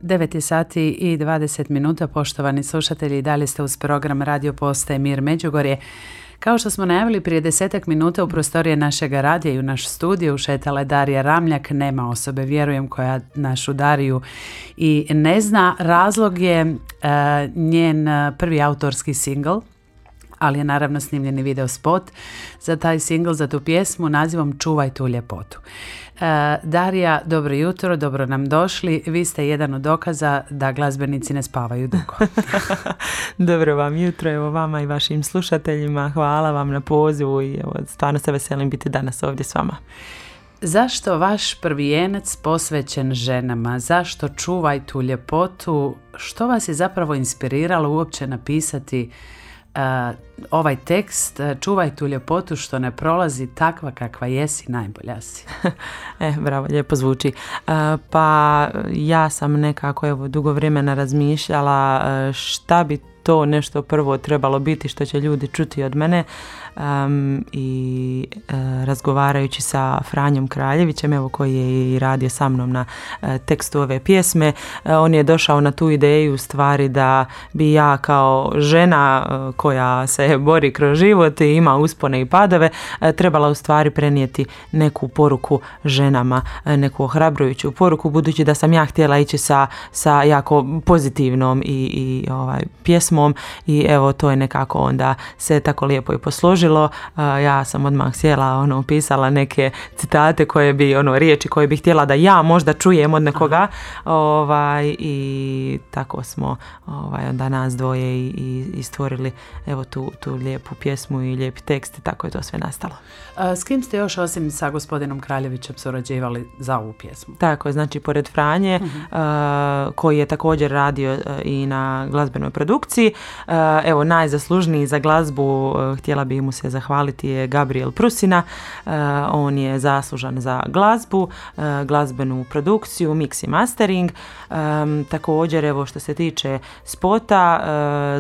9 sati i 20 minuta, poštovani slušatelji, i dalje ste uz program Radio Postaje Mir Međugorje. Kao što smo najavili prije 10 minuta, u prostorije našeg radija i u naš studio ušetala je Darija Ramljak. Nema osobe, vjerujem, koja našu Dariju i ne zna. Razlog je njen prvi autorski singl, ali je naravno snimljeni video spot za taj singl, za tu pjesmu nazivom Čuvaj tu ljepotu. Darija, dobro jutro, dobro nam došli. Vi ste jedan od dokaza da glazbenici ne spavaju dugo. Dobro vam jutro, evo vama i vašim slušateljima. Hvala vam na pozivu i evo, stvarno se veselim biti danas ovdje s vama. Zašto vaš prvijenac posvećen ženama? Zašto Čuvaj tu ljepotu? Što vas je zapravo inspiriralo uopće napisati ovaj tekst? Čuvaj tu ljepotu što ne prolazi, takva kakva jesi, najbolja si. Bravo, lijepo zvuči. Pa ja sam nekako dugo vremena razmišljala šta bi to nešto prvo trebalo biti što će ljudi čuti od mene, i razgovarajući sa Franjom Kraljevićem, koji je i radio sa mnom na tekstu ove pjesme, on je došao na tu ideju u stvari da bi ja kao žena koja se bori kroz život i ima uspone i padove trebala u stvari prenijeti neku poruku ženama, neku ohrabrujuću poruku, budući da sam ja htjela ići sa jako pozitivnom i pjesmom, i evo to je nekako onda se tako lijepo i posložilo. Ja sam odmah sjela, pisala neke citate koje bi, riječi koje bi htjela da ja možda čujem od nekoga, i tako smo onda nas dvoje i stvorili evo tu lijepu pjesmu i lijepi tekst, i tako je to sve nastalo. S kim ste još osim sa gospodinom Kraljevićem surađivali za ovu pjesmu? Tako je, znači pored Franje, koji je također radio i na glazbenoj produkciji, evo najzaslužniji za glazbu, htjela bi mu se zahvaliti, je Gabriel Prusina. On je zaslužan za glazbu, glazbenu produkciju, mix i mastering. Također, evo što se tiče spota,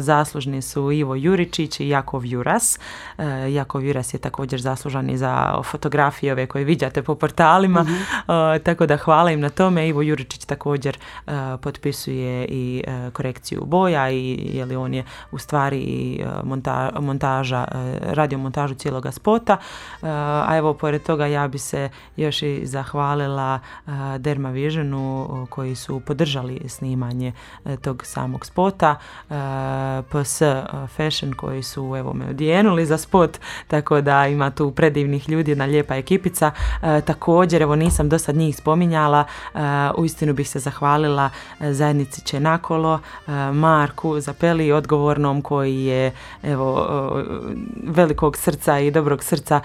zaslužni su Ivo Juričić i Jakov Juras. Jakov Juras je također zaslužan i za fotografije ove koje viđate po portalima, tako da hvala im na tome. Ivo Juričić također potpisuje i korekciju boja, i on je u stvari i montaža, radio montažu cijeloga spota. A evo, pored toga ja bi se još i zahvalila Derma Visionu koji su podržali snimanje tog samog spota, PS Fashion koji su me odjenuli za spot, tako da ima tu predivnih ljudi, jedna lijepa ekipica. Također, evo nisam do sad njih spominjala, uistinu bih se zahvalila zajednici Čenakolo, Marku Zapeli, odgovornom, koji je velikog srca i dobrog srca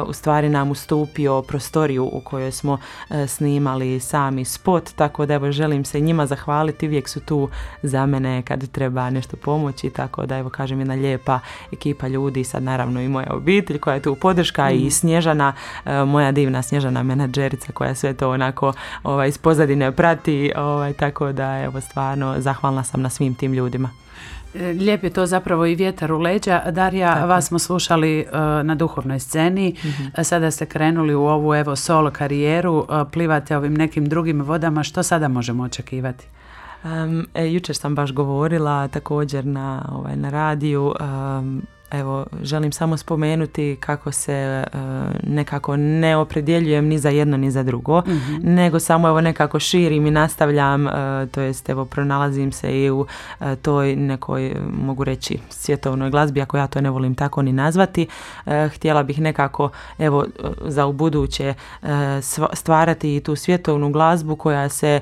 u stvari nam ustupio prostoriju u kojoj smo snimali sami spot, tako da želim se njima zahvaliti, uvijek su tu za mene kad treba nešto pomoći, tako da kažem, jedna lijepa ekipa ljudi, sad naravno i moja obitelj koja je tu podrška, i Snježana, moja divna Snježana menadžerica koja sve to onako iz pozadine prati, tako da stvarno zahvalna sam na svim tim ljudima. Lijep je to zapravo i vjetar u leđa. Darija, tako. Vas smo slušali na duhovnoj sceni, sada ste krenuli u ovu solo karijeru, plivate ovim nekim drugim vodama, što sada možemo očekivati? Jučer sam baš govorila također na radiju, želim samo spomenuti kako se nekako ne opredjeljujem ni za jedno ni za drugo, nego samo nekako širim i nastavljam, to jest pronalazim se i u toj nekoj, mogu reći, svjetovnoj glazbi, ako ja to ne volim tako ni nazvati. Htjela bih nekako za ubuduće stvarati i tu svjetovnu glazbu koja se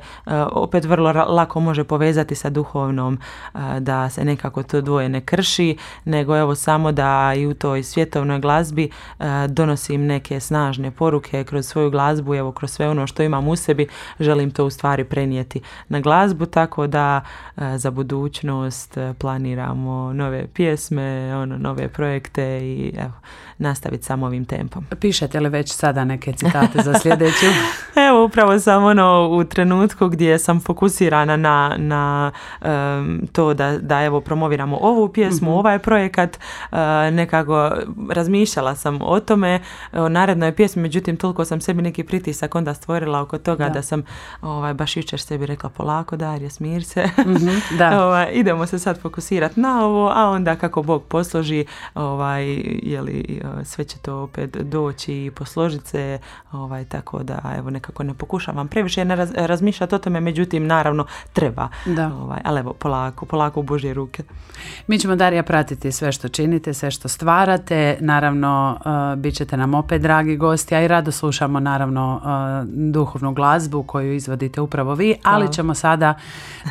opet vrlo lako može povezati sa duhovnom, da se nekako to dvoje ne krši, nego samo da i u toj svjetovnoj glazbi donosim neke snažne poruke kroz svoju glazbu, kroz sve ono što imam u sebi, želim to u stvari prenijeti na glazbu, tako da za budućnost planiramo nove pjesme, nove projekte i nastaviti samo ovim tempom. Pišete li već sada neke citate za sljedeću? upravo sam u trenutku gdje sam fokusirana na to da evo promoviramo ovu pjesmu, ovaj projekat, nekako razmišljala sam o tome, o narednoj pjesmi, međutim toliko sam sebi neki pritisak onda stvorila oko toga da sam baš jučer sebi rekla polako Darija, smir se, idemo se sad fokusirati na ovo, a onda kako Bog posloži, sve će to opet doći i posložiti se, tako da evo nekako ne pokušavam previše razmišljati o tome, međutim naravno treba, ali evo polako u Božje ruke. Mi ćemo, Darija, pratiti sve što činite, sve što stvarate, naravno bit ćete nam opet dragi gosti, a i rado slušamo naravno duhovnu glazbu koju izvodite upravo vi, ali ćemo sada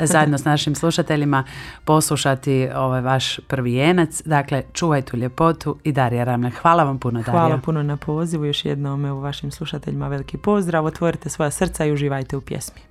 zajedno s našim slušateljima poslušati ovaj vaš prvi jenac, dakle Čuvaj tu ljepotu i Darija Ramljak. Hvala vam puno, Darija. Hvala puno na pozivu, još jednom vašim slušateljima veliki pozdrav, otvorite svoja srca i uživajte u pjesmi.